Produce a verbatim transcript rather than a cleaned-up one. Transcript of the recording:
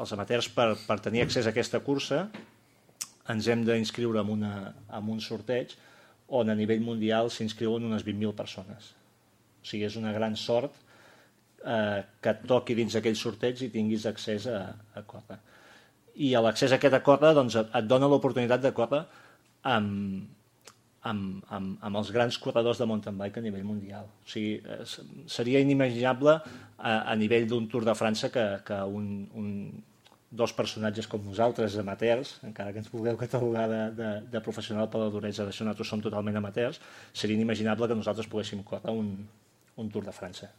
els amateurs, per, per tenir accés a aquesta cursa, ens hem d'inscriure en, una, en un sorteig on a nivell mundial s'inscriuen unes vint mil persones. O sigui, és una gran sort eh, que et toqui dins aquell sorteig i tinguis accés a, a córrer. I l'accés a aquesta córrer doncs, et dona l'oportunitat de córrer amb, amb, amb, amb els grans corredors de mountain bike a nivell mundial. O sigui, seria inimaginable a, a nivell d'un Tour de França que, que un, un, dos personatges com nosaltres, amateurs, encara que ens vulgueu catalogar de, de, de professional per la duresa, d'això nosaltres som totalment amateurs, seria inimaginable que nosaltres poguéssim córrer un, un Tour de França.